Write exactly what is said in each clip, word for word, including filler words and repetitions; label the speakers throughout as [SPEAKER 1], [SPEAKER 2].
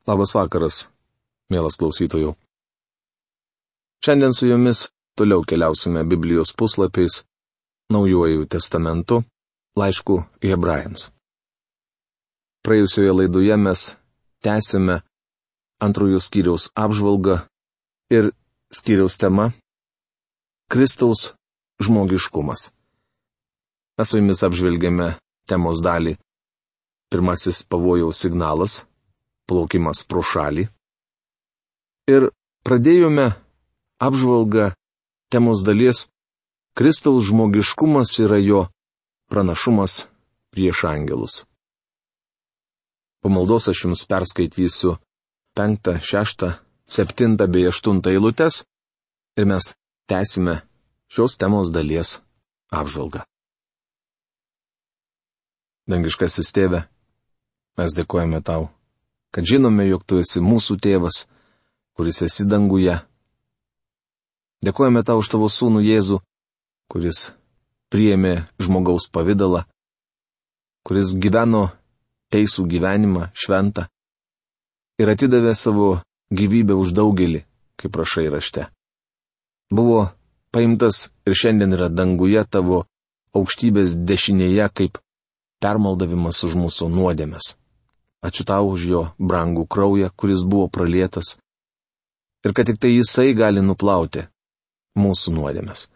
[SPEAKER 1] Labas vakaras, mielas klausytojų. Šiandien su jumis toliau keliausime Biblijos puslapiais, Naujuoju testamentu, laišku Hebrajams. Praėjusioje laidoje mes tęsime antrojo skyriaus apžvalgą ir skyriaus tema - Kristaus žmogiškumas. Mes su jumis apžvelgėme temos dalį - pirmasis pavojaus signalas - plaukimas pro šalį. Ir pradėjome apžvalgą temos dalies Kristaus žmogiškumas yra jo pranašumas prieš angelus. Po maldos aš jums perskaitysiu penktą, šeštą, septintą bei aštuntą eilutes ir mes tęsime šios temos dalies apžvalgą. Dangiškasis Tėve, mes dėkojame tau, kad žinome, jog tu esi mūsų tėvas, kuris esi danguje. Dėkojame tau už tavo sūnų Jėzų, kuris priėmė žmogaus pavidalą, kuris gyveno teisų gyvenimą, šventą, ir atidavė savo gyvybę už daugelį, kaip rašai rašte. Buvo paimtas ir šiandien yra danguje tavo aukštybės dešinėje kaip permaldavimas už mūsų nuodėmes. Ačiū tau už jo brangų kraują, kuris buvo pralietas, ir kad tik tai jisai gali nuplauti mūsų nuodėmes.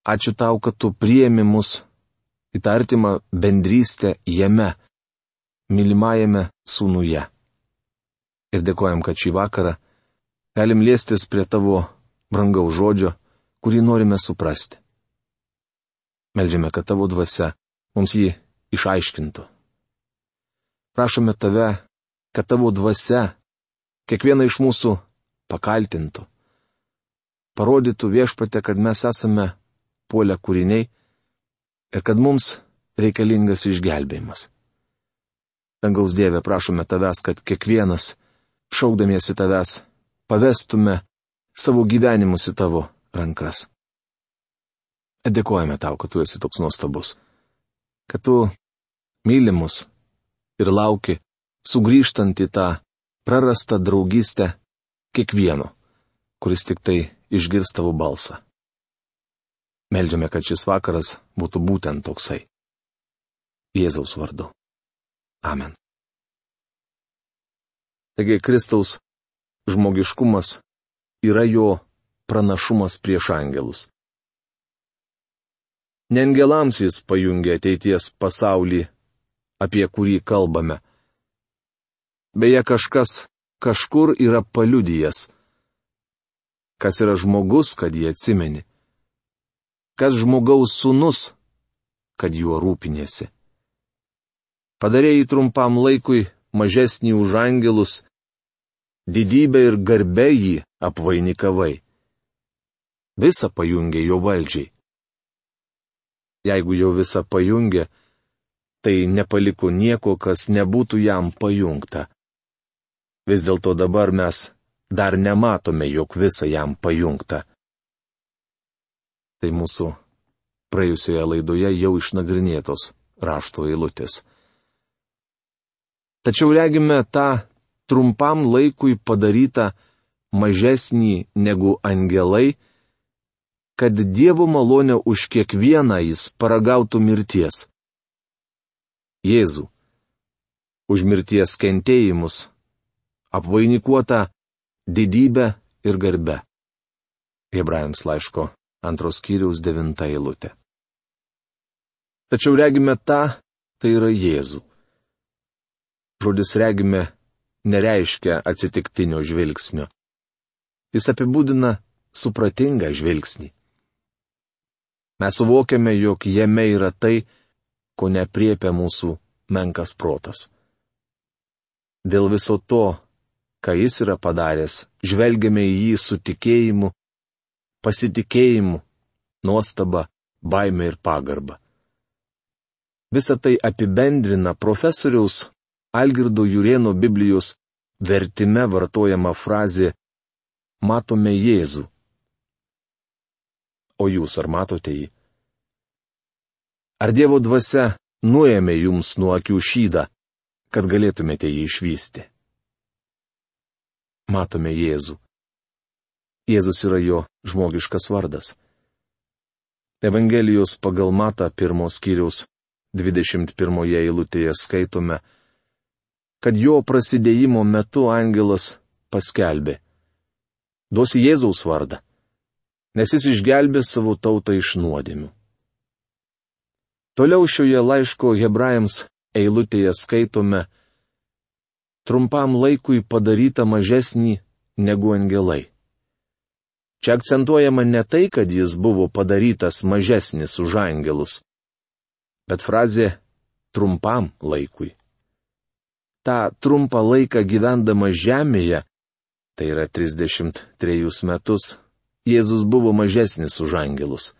[SPEAKER 1] Ačiū tau, kad tu priėmi mus į tą artimą bendrystę jame, mylimajame sūnuje. Ir dėkojam, kad šį vakarą galim liestis prie tavo brangaus žodžio, kurį norime suprasti. Meldžiame, kad tavo dvasia mums jį išaiškintų. Prašome tave, kad tavo dvasia kiekvieną iš mūsų pakaltintų. Parodytų Viešpatie, kad mes esame puolę kūriniai ir kad mums reikalingas išgelbėjimas. Dangaus Dieve, prašome tavęs, kad kiekvienas, šaukdamiesi tavęs, pavestume savo gyvenimus į tavo rankas. Dėkojame tau, kad tu esi toks nuostabus, kad tu myli mus ir lauki, sugrįžtant į tą prarastą draugystę kiekvieno, kuris tik tai išgirs tavo balsą. Meldžiame, kad šis vakaras būtų būtent toksai. Jėzaus vardu. Amen. Taigi Kristaus žmogiškumas yra jo pranašumas prieš angelus. Ne angelams jis pajungia ateities pasaulį, apie kurį kalbame. Beje, kažkas kažkur yra paliudijęs. Kas yra žmogus, kad jį atsimeni? Kas žmogaus sūnus, kad juo rūpinėsi? Padarėjai trumpam laikui mažesnį už angelus, didybę ir garbę jį apvainikavai. Visa pajungė jo valdžiai. Jeigu jau visa pajungė, tai nepaliko nieko, kas nebūtų jam pajungta. Vis dėlto dabar mes dar nematome, jog visa jam pajungta. Tai mūsų praėjusioje laidoje jau išnagrinėtos rašto eilutės. Tačiau regime tą trumpam laikui padarytą mažesnį negu angelai, kad Dievo malonę už kiekvieną jis paragautų mirties. Jėzų, už mirties kentėjimus, apvainikuota didybę ir garbę. Hebrajams laiško antros skyriaus devinta eilutė. Tačiau regime tą, tai yra Jėzų. Žodis regime nereiškia atsitiktinio žvilgsnio. Jis apibūdina supratingą žvilgsnį. Mes suvokiame, jog jame yra tai, ko nepriepia mūsų menkas protas. Dėl viso to, ką jis yra padaręs, žvelgiame į jį su tikėjimu, pasitikėjimu, nuostaba, baime ir pagarba. Visą tai apibendrina profesoriaus Algirdo Jurėno Biblijos vertime vartojama frazė "matome Jėzų". O jūs ar matote jį? Ar Dievo dvasia nuėmė jums nuo akių šydą, kad galėtumėte jį išvysti? matome Jėzų. Jėzus yra jo žmogiškas vardas. Evangelijos pagal Matą pirmos skyriaus dvidešimt pirmoje eilutėje skaitome, kad jo prasidėjimo metu angelas paskelbė: duosi Jėzaus vardą, nes jis išgelbės savo tautą iš nuodėmių. Toliau šioje laiško hebrajams eilutėje skaitome: trumpam laikui padaryta mažesnį negu angelai. Čia akcentuojama ne tai, kad jis buvo padarytas mažesnis už angelus, bet frazė trumpam laikui. Ta trumpą laiką gyvendama žemėje, tai yra trisdešimt trejus metus, Jėzus buvo mažesnis už angelus.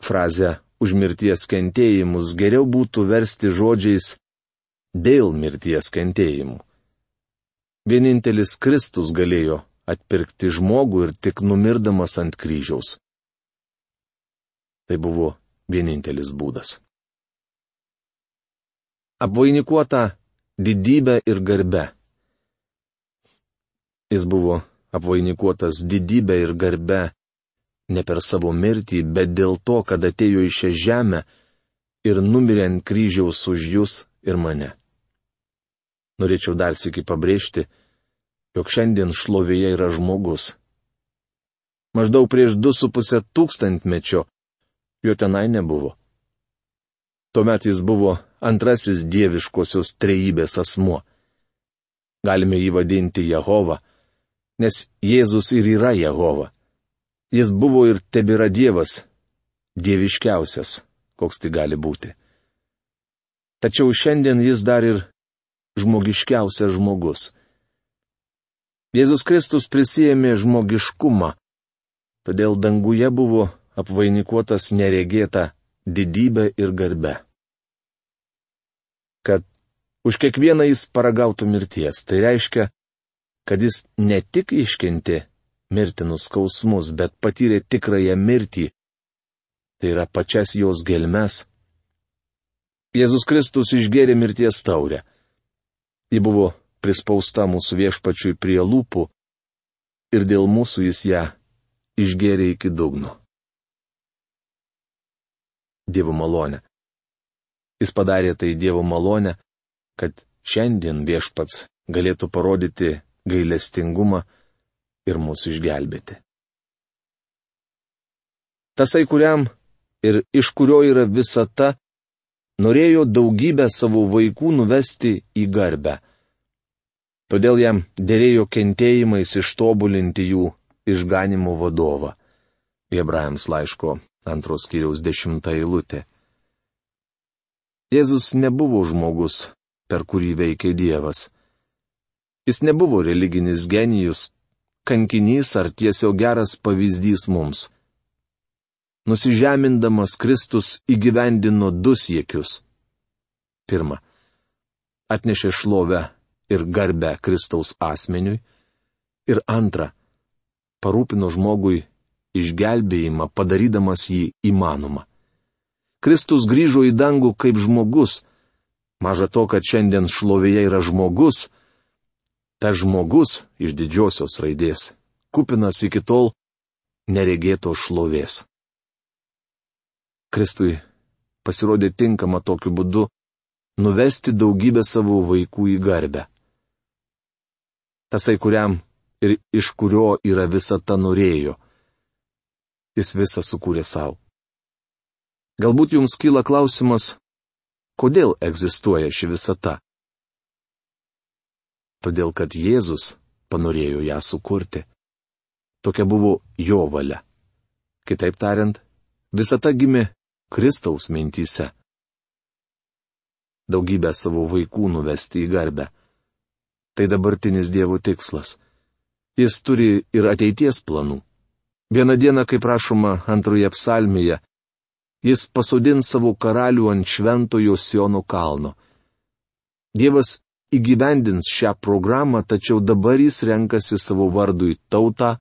[SPEAKER 1] Frazę už mirties kentėjimus geriau būtų versti žodžiais dėl mirties kentėjimų. Vienintelis Kristus galėjo atpirkti žmogų ir tik numirdamas ant kryžiaus. Tai buvo vienintelis būdas. Apvainikuota didybę ir garbę. Jis buvo apvainikuotas didybę ir garbę ne per savo mirtį, bet dėl to, kad atėjo į šią žemę ir numirė ant kryžiaus už jūs ir mane. Norėčiau dar sykį pabrėžti, jog šiandien šlovėje yra žmogus. Maždaug prieš du su pusę tūkstantmečio jo tenai nebuvo. Tuomet jis buvo antrasis dieviškosios trejybės asmuo. Galime jį vadinti Jehova, nes Jėzus ir yra Jehova. Jis buvo ir tebėra Dievas, dieviškiausias, koks tai gali būti. Tačiau šiandien jis dar ir žmogiškiausias žmogus. Jėzus Kristus prisijėmė žmogiškumą, todėl danguje buvo apvainikuotas neregėta didybė ir garbe. Kad už kiekvieną jis paragautų mirties, tai reiškia, kad jis ne tik iškentė mirtinus skausmus, bet patyrė tikrąją mirtį, tai yra pačias jos gelmes. Jėzus Kristus išgėrė mirties taurę. Ji buvo prispausta mūsų viešpačiui prie lūpų ir dėl mūsų jis ją išgėrė iki dugno. Dievo malonė. Jis padarė tai Dievo malonę, kad šiandien viešpats galėtų parodyti gailestingumą ir mūsų išgelbėti. Tasai, kuriam ir iš kurio yra visata, norėjo daugybę savo vaikų nuvesti į garbę. Todėl jam dėrėjo kentėjimais ištobulinti jų išganimo vadovą. Hebrajams laiško antros skyriaus dešimta eilutė. Jėzus nebuvo žmogus, per kurį veikė Dievas. Jis nebuvo religinis genijus, kankinys ar tiesiog geras pavyzdys mums. Nusižemindamas Kristus įgyvendino du siekius. Pirma, atnešė šlovę ir garbę Kristaus asmeniui. Ir antra, parūpino žmogui išgelbėjimą, padarydamas jį įmanomą. Kristus grįžo į dangų kaip žmogus. Maža to, kad šiandien šlovėje yra žmogus, ta žmogus iš didžiosios raidės, kupinas iki tol neregėtos šlovės. Kristui pasirodė tinkama tokiu būdu nuvesti daugybę savo vaikų į garbę. Tasai, kuriam ir iš kurio yra visata, norėjo. Jis visą sukūrė savo. Galbūt jums kyla klausimas, kodėl egzistuoja ši visata? Todėl, kad Jėzus panorėjo ją sukurti. Tokia buvo jo valia. Kitaip tariant, visata gimė Kristaus mintyse. Daugybę savo vaikų nuvesti į garbę. Tai dabartinis Dievo tikslas. Jis turi ir ateities planų. Vieną dieną, kaip rašoma antroje psalmėje, jis pasodins savo karalių ant šventojo Siono kalno. Dievas įgyvendins šią programą, tačiau dabar jis renkasi savo vardui tautą,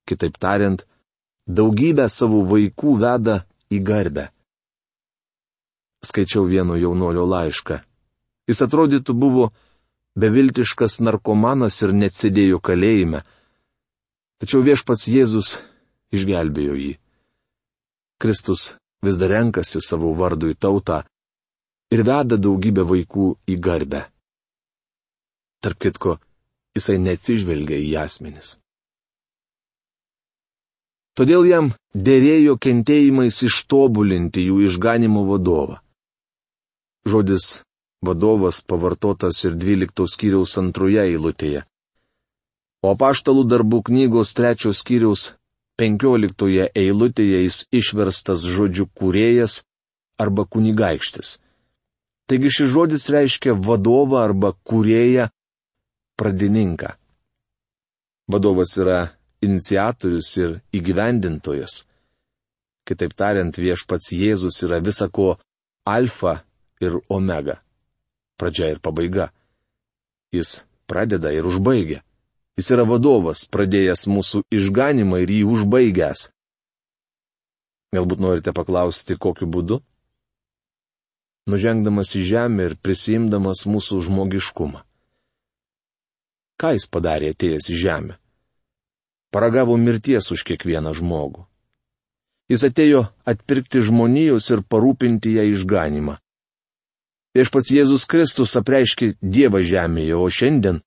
[SPEAKER 1] kitaip tariant, daugybę savo vaikų veda į garbę. Skaičiau vieno jaunolio laišką. Jis atrodytų buvo beviltiškas narkomanas ir net sėdėjo kalėjime. Tačiau viešpats Jėzus išgelbėjo jį. Kristus vis dar renkasi savo vardui tautą ir veda daugybę vaikų į garbę. Tarp kitko, jisai neatsižvelgia į asmenis. Todėl jam dėrėjo kentėjimais ištobulinti jų išganimo vadovą. Žodis vadovas pavartotas ir dvyliktos skyriaus antroje eilutėje. O apaštalų darbų knygos trečios skyriaus penkioliktoje eilutėje jis išverstas žodžiu kūrėjas arba kunigaikštis. Taigi šis žodis reiškia vadovą arba kūrėją, pradininką. Vadovas yra iniciatorius ir įgyvendintojas. Kitaip tariant, viešpats Jėzus yra visako alfa ir omega. Pradžia ir pabaiga. Jis pradeda ir užbaigia. Jis yra vadovas, pradėjęs mūsų išganimą ir jį užbaigęs. Galbūt norite paklausti, kokiu būdu? Nužengdamas į žemę ir prisiimdamas mūsų žmogiškumą. Ką jis padarė atėjęs į žemę? Paragavo mirties už kiekvieną žmogų. Jis atėjo atpirkti žmonijos ir parūpinti ją išganimą. Viešpats Jėzus Kristus apreiškė Dievą žemėje, o šiandien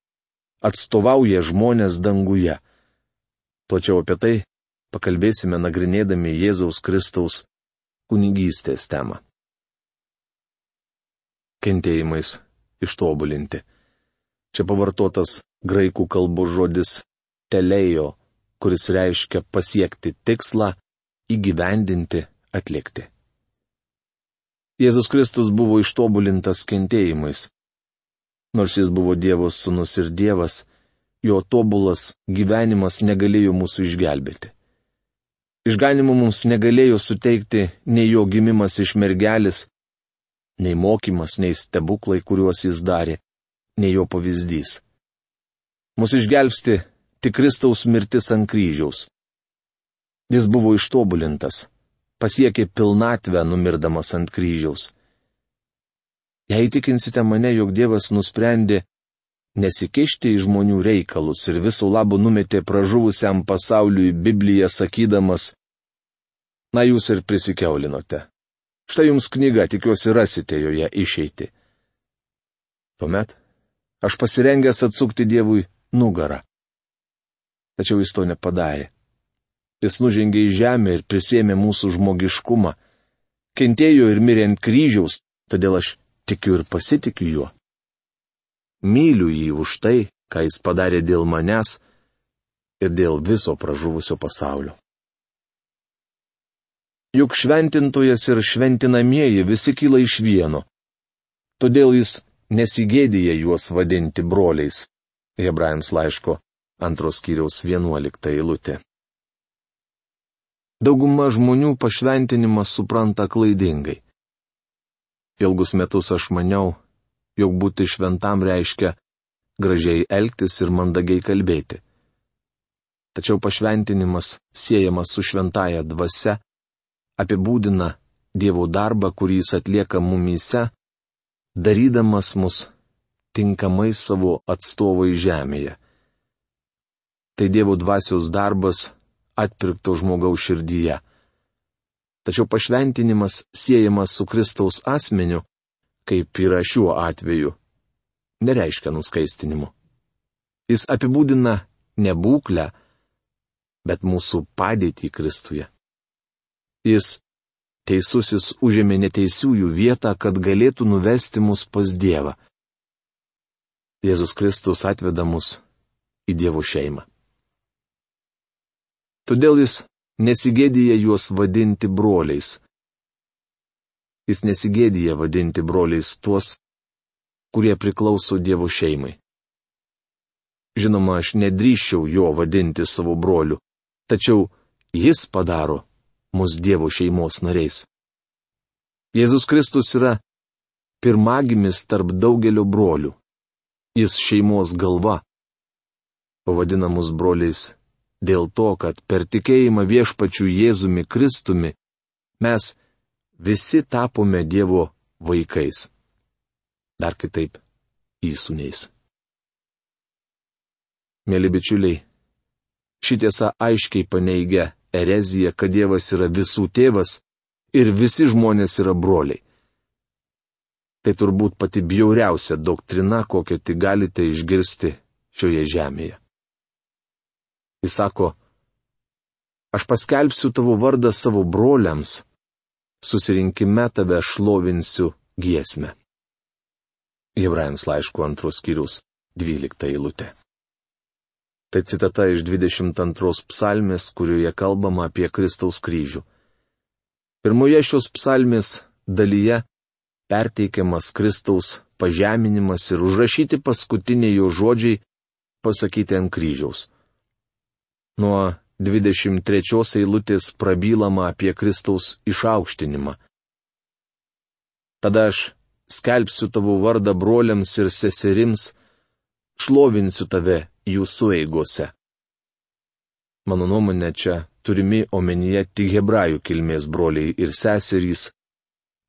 [SPEAKER 1] atstovauja žmonės danguje. Plačiau apie tai pakalbėsime nagrinėdami Jėzaus Kristaus kunigystės temą. Kentėjimais ištobulinti. Čia pavartotas graikų kalbos žodis telejo, kuris reiškia pasiekti tikslą, įgyvendinti, atlikti. Jėzus Kristus buvo ištobulintas kentėjimais. Nors jis buvo Dievo sūnus ir Dievas, jo tobulas gyvenimas negalėjo mūsų išgelbėti. Išganimo mums negalėjo suteikti nei jo gimimas iš mergelės, nei mokymas, nei stebuklai, kuriuos jis darė, nei jo pavyzdys. Mūsų išgelbsti tik Kristaus mirtis ant kryžiaus. Jis buvo ištobulintas, pasiekė pilnatvę numirdamas ant kryžiaus. Jei įtikinsite mane, jog Dievas nusprendė nesikišti į žmonių reikalus ir visų labų numetė pražuvusiam pasauliui Bibliją sakydamas, na jūs ir prisikeulinate. Štai jums knyga, tikiuosi rasite joje išeitį. Tuomet aš pasirengęs atsukti Dievui nugarą. Tačiau jis to nepadarė. Jis nužengė į žemę ir prisėmė mūsų žmogiškumą. Kentėjo ir mirė ant kryžiaus, todėl aš tikiu ir pasitikiu juo. Myliu jį už tai, ką jis padarė dėl manęs ir dėl viso pražuvusio pasaulio. Juk šventintojas ir šventinamieji visi kyla iš vieno. Todėl jis nesigėdija juos vadinti broliais. Hebrajams laiško antros skyriaus vienuolikta eilutė. Dauguma žmonių pašventinimą supranta klaidingai. Ilgus metus aš maniau, jog būti šventam reiškia gražiai elgtis ir mandagiai kalbėti. Tačiau pašventinimas siejamas su šventaja dvasia, apibūdina Dievo darbą, kurį jis atlieka mumyse, darydamas mus tinkamai savo atstovai žemėje. Tai Dievo dvasios darbas atpirkto žmogaus širdyje. Tačiau pašventinimas siejamas su Kristaus asmeniu, kaip yra šiuo atveju, nereiškia nuskaistinimu. Jis apibūdina ne būklę, bet mūsų padėtį Kristuje. Jis teisusis užėmė neteisiųjų vietą, kad galėtų nuvesti mus pas Dievą. Jėzus Kristus atveda mus į Dievo šeimą. Todėl jis nesigėdija juos vadinti broliais. Jis nesigėdija vadinti broliais tuos, kurie priklauso Dievo šeimai. Žinoma, aš nedrįsčiau jo vadinti savo broliu, tačiau jis padaro mus Dievo šeimos nariais. Jėzus Kristus yra pirmagimis tarp daugelio brolių. Jis šeimos galva. Pavadina mus broliais dėl to, kad per tikėjimą viešpačiu Jėzumi Kristumi mes visi tapome Dievo vaikais. Dar kitaip, įsūniais. Mėly bičiuliai, ši tiesa aiškiai paneigia ereziją, kad Dievas yra visų tėvas ir visi žmonės yra broliai. Tai turbūt pati bjauriausia doktrina, kokią tik galite išgirsti šioje žemėje. Jis sako, aš paskelbsiu tavo vardą savo broliams, susirinkime tave šlovinsiu giesmę. Hebrajams laiško antros skyriaus dvylikta eilutė. Tai citata iš dvidešimt antros psalmės, kurioje kalbama apie Kristaus kryžių. Pirmoje šios psalmės dalyje perteikiamas Kristaus pažeminimas ir užrašyti paskutiniai jo žodžiai pasakyti ant kryžiaus. Nuo dvidešimt trečios eilutės prabylama apie Kristaus išaukštinimą. Tada aš skelbsiu tavo vardą broliams ir seserims, šlovinsiu tave jų sueigose. Mano nuomonė, čia turimi omenyje tik hebrajų kilmės broliai ir seserys,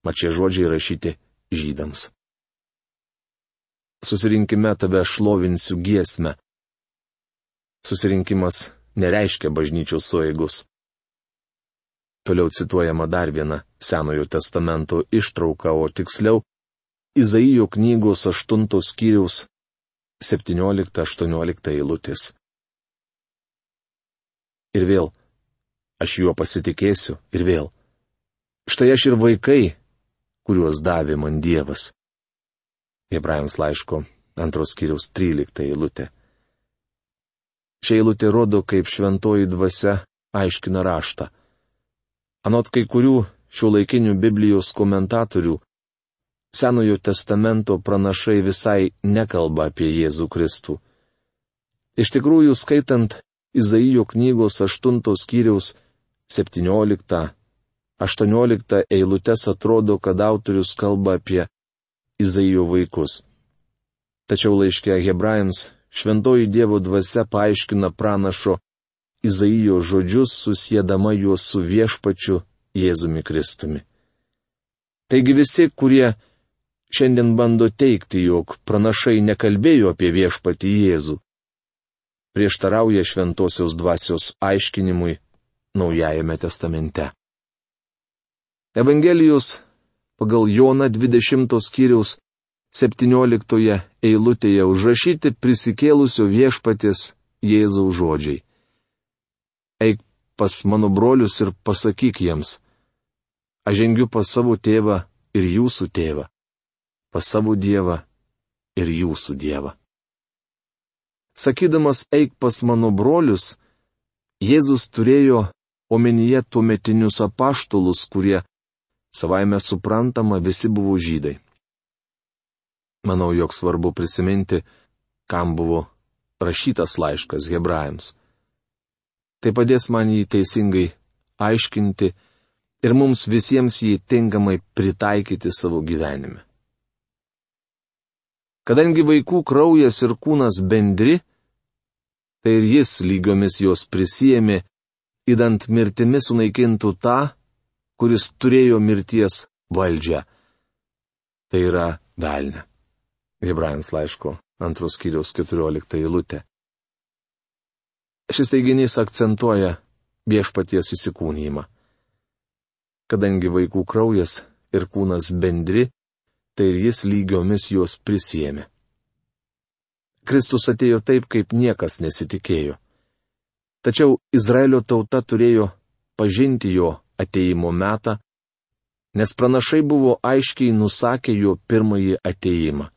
[SPEAKER 1] mat šie žodžiai rašyti žydams. Susirinkime tave šlovinsiu giesmę. Susirinkimas nereiškia bažnyčios sueigus. Toliau cituojama dar viena Senojo testamento ištrauka, o tiksliau Izaijo knygos aštuntos skyriaus septyniolikta aštuoniolikta eilutės. Ir vėl, aš juo pasitikėsiu, ir vėl. Štai aš ir vaikai, kuriuos davė man Dievas. Hebrajams laiško antros skyriaus trylikta eilutė. Šia eilutė rodo, kaip šventoji dvasia aiškina raštą. Anot kai kurių šiuolaikinių Biblijos komentatorių, Senojo testamento pranašai visai nekalba apie Jėzų Kristų. Iš tikrųjų, skaitant Izaijo knygos aštuntos skyriaus septynioliktą aštuonioliktą eilutes, atrodo, kad autorius kalba apie Izaijo vaikus. Tačiau laiške Hebrajams šventoji Dievo dvasia paaiškina pranašo Izaijo žodžius, susiedama juos su viešpačiu Jėzumi Kristumi. Taigi visi, kurie šiandien bando teigti, jog pranašai nekalbėjo apie viešpatį Jėzų, prieštarauja šventosios dvasios aiškinimui Naujajame testamente. Evangelijos pagal Joną dvidešimtos skyriaus septynioliktoje eilutėje užrašyti prisikėlusio viešpaties Jėzaus žodžiai. Eik pas mano brolius ir pasakyk jiems, aš žengiu pas savo tėvą ir jūsų tėvą, pas savo Dievą ir jūsų Dievą. Sakydamas eik pas mano brolius, Jėzus turėjo omenyje tuometinius apaštalus, kurie savaime suprantama visi buvo žydai. Manau, jog svarbu prisiminti, kam buvo rašytas laiškas Hebrajams. Tai padės man jį teisingai aiškinti ir mums visiems jį tinkamai pritaikyti savo gyvenime. Kadangi vaikų kraujas ir kūnas bendri, tai ir jis lygiomis jos prisijėmė, įdant mirtimi sunaikintų tą, kuris turėjo mirties valdžią. Tai yra velnę. Hebrajams laiško antros skyriaus keturiolikta eilutė. Šis teiginys akcentuoja viešpaties įsikūnijimą. Kadangi vaikų kraujas ir kūnas bendri, tai ir jis lygiomis juos prisijėmė. Kristus atėjo taip, kaip niekas nesitikėjo. Tačiau Izraelio tauta turėjo pažinti jo atėjimo metą, nes pranašai buvo aiškiai nusakę jo pirmąjį atėjimą.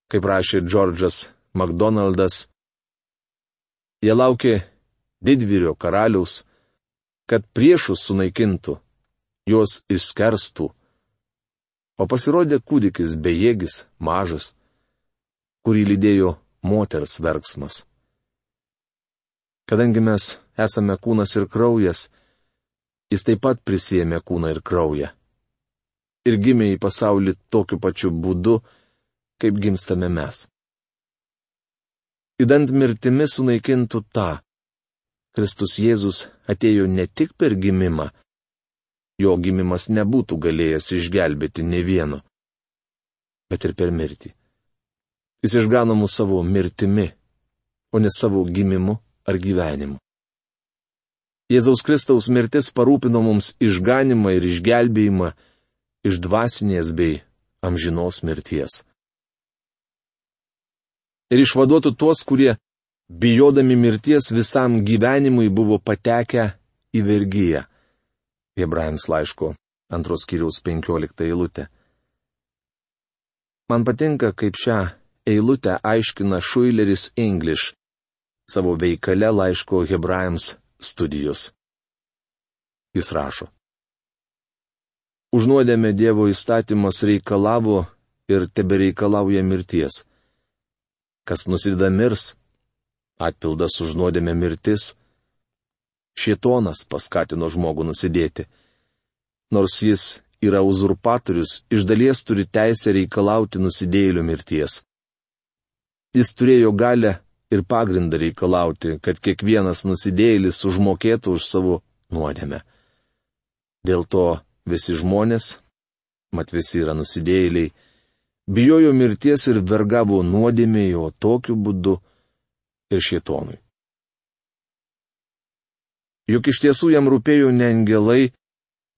[SPEAKER 1] Kaip rašė Džordžas McDonaldas, jie laukė didvyrio karaliaus, kad priešus sunaikintų, juos išskerstų, o pasirodė kūdikis bejėgis, mažas, kurį lydėjo moters verksmas. Kadangi mes esame kūnas ir kraujas, jis taip pat prisėmė kūną ir kraują. Ir gimė į pasaulį tokiu pačiu būdu, kaip gimstame mes. Įdant mirtimi sunaikintų tą, Kristus Jėzus atėjo ne tik per gimimą, jo gimimas nebūtų galėjęs išgelbėti ne vieno, bet ir per mirtį. Jis išgano mus savo mirtimi, o ne savo gimimu ar gyvenimu. Jėzaus Kristaus mirtis parūpino mums išganimą ir išgelbėjimą iš dvasinės bei amžinos mirties. Ir išvaduotų tuos, kurie, bijodami mirties visam gyvenimui, buvo patekę į vergiją. Hebrajams laiško antros skyriaus penkiolikta eilutė. Man patinka, kaip šią eilutę aiškina Schuyleris English savo veikale laiško Hebrajams studijos. Jis rašo: Už nuodėmę Dievo įstatymas reikalavo ir tebereikalauja mirties. Kas nusideda mirs, atpildas už nuodėmę mirtis. Šėtonas paskatino žmogų nusidėti. Nors jis yra uzurpatorius, iš dalies turi teisę reikalauti nusidėjėlio mirties. Jis turėjo galę ir pagrindą reikalauti, kad kiekvienas nusidėjėlis užmokėtų už savo nuodėmę. Dėl to visi žmonės, mat visi yra nusidėjėliai, bijojo mirties ir vergavo nuodėmei, o tokiu būdu ir šėtonui. Juk iš tiesų jam rūpėjo ne angelai,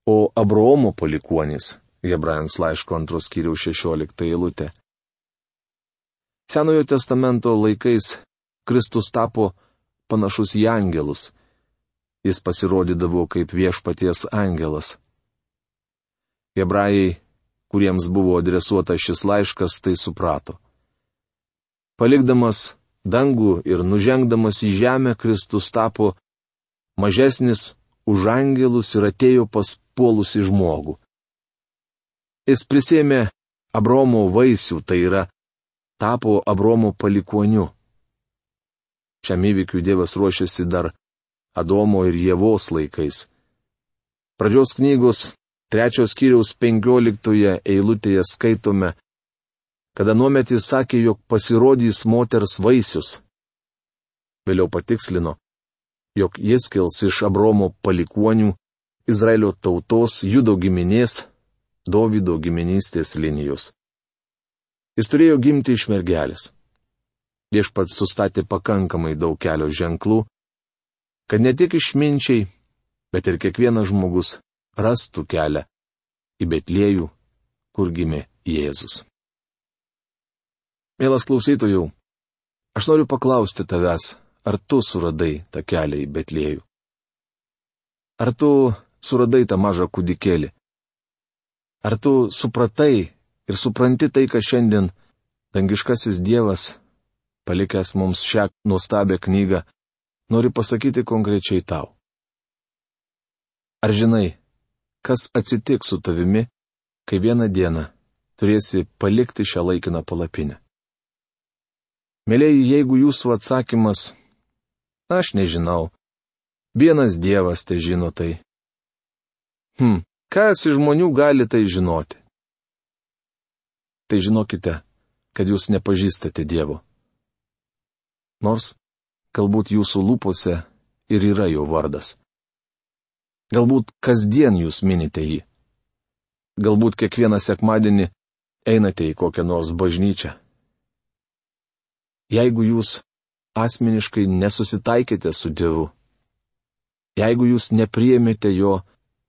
[SPEAKER 1] o Abraomo palikuonys. Hebrajams laiško antros skyriaus šešiolikta eilutė. Senojo testamento laikais Kristus tapo panašus į angelus. Jis pasirodydavo kaip viešpaties angelas. Hebrajai, kuriems buvo adresuotas šis laiškas, tai suprato. Palikdamas dangų ir nužengdamas į žemę, Kristus tapo mažesnis už angelus ir atėjo pas puolusį žmogų. Jis prisėmė Abraomo vaisių, tai yra, tapo Abraomo palikuoniu. Šiam įvykiui Dievas ruošiasi dar Adomo ir Ievos laikais. Pradžios knygos trečios skyriaus penkioliktoje eilutėje skaitome, kada nuometį sakė, jog pasirodys moters vaisius. Vėliau patikslino, jog jis kils iš Abraomo palikuonių, Izraelio tautos, Judo giminės, Dovydo giminystės linijos. Jis turėjo gimti iš mergelės. Viešpats sustatė pakankamai daug kelio ženklų, kad ne tik išminčiai, bet ir kiekvienas žmogus rastų kelią į Betliejų, kur gimė Jėzus. Mielas klausytojau, aš noriu paklausti tavęs, ar tu suradai tą kelią į Betliejų? Ar tu suradai tą mažą kūdikėlį? Ar tu supratai ir supranti tai, kad šiandien dangiškasis Dievas, palikęs mums šią nuostabią knygą, nori pasakyti konkrečiai tau? Ar žinai, kas atsitiks su tavimi, kai vieną dieną turėsi palikti šią laikiną palapinę? Mėlėjai, jeigu jūsų atsakymas, aš nežinau, vienas Dievas tai žino tai. Hm, kas iš žmonių gali tai žinoti? Tai žinokite, kad jūs nepažįstate Dievo. Nors, galbūt jūsų lūpose ir yra jo vardas. Galbūt kasdien jūs minite jį. Galbūt kiekvieną sekmadienį einate į kokią nors bažnyčią. Jeigu jūs asmeniškai nesusitaikėte su Dievu, jeigu jūs nepriėmėte jo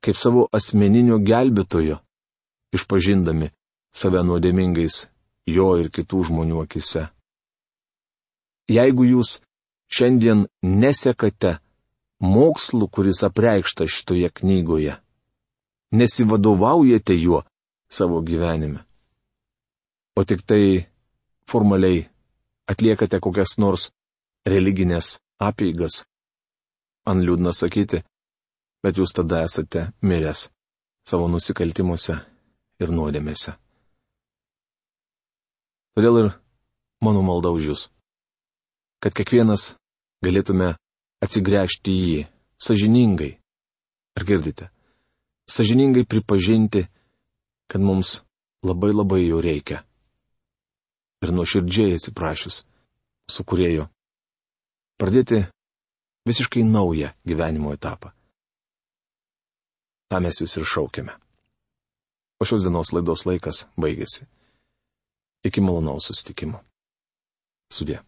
[SPEAKER 1] kaip savo asmeninio gelbėtojo, išpažindami save nuodėmingais jo ir kitų žmonių akise, jeigu jūs šiandien nesekate mokslu, kuris apreikšta šitoje knygoje, nesivadovaujate juo savo gyvenime, o tik tai formaliai atliekate kokias nors religinės apeigas, man liūdna sakyti, bet jūs tada esate miręs savo nusikaltimuose ir nuodėmėse. Todėl ir mano malda už jūs, kad kiekvienas galėtume atsigręžti į jį sąžiningai. Ar girdite? Sąžiningai pripažinti, kad mums labai labai jo reikia. Ir nuoširdžiai atsiprašius su Kūrėju pradėti visiškai naują gyvenimo etapą. Ta mes jūs ir šaukiame. O šios dienos laidos laikas baigėsi. Iki malonaus susitikimo. Sudie.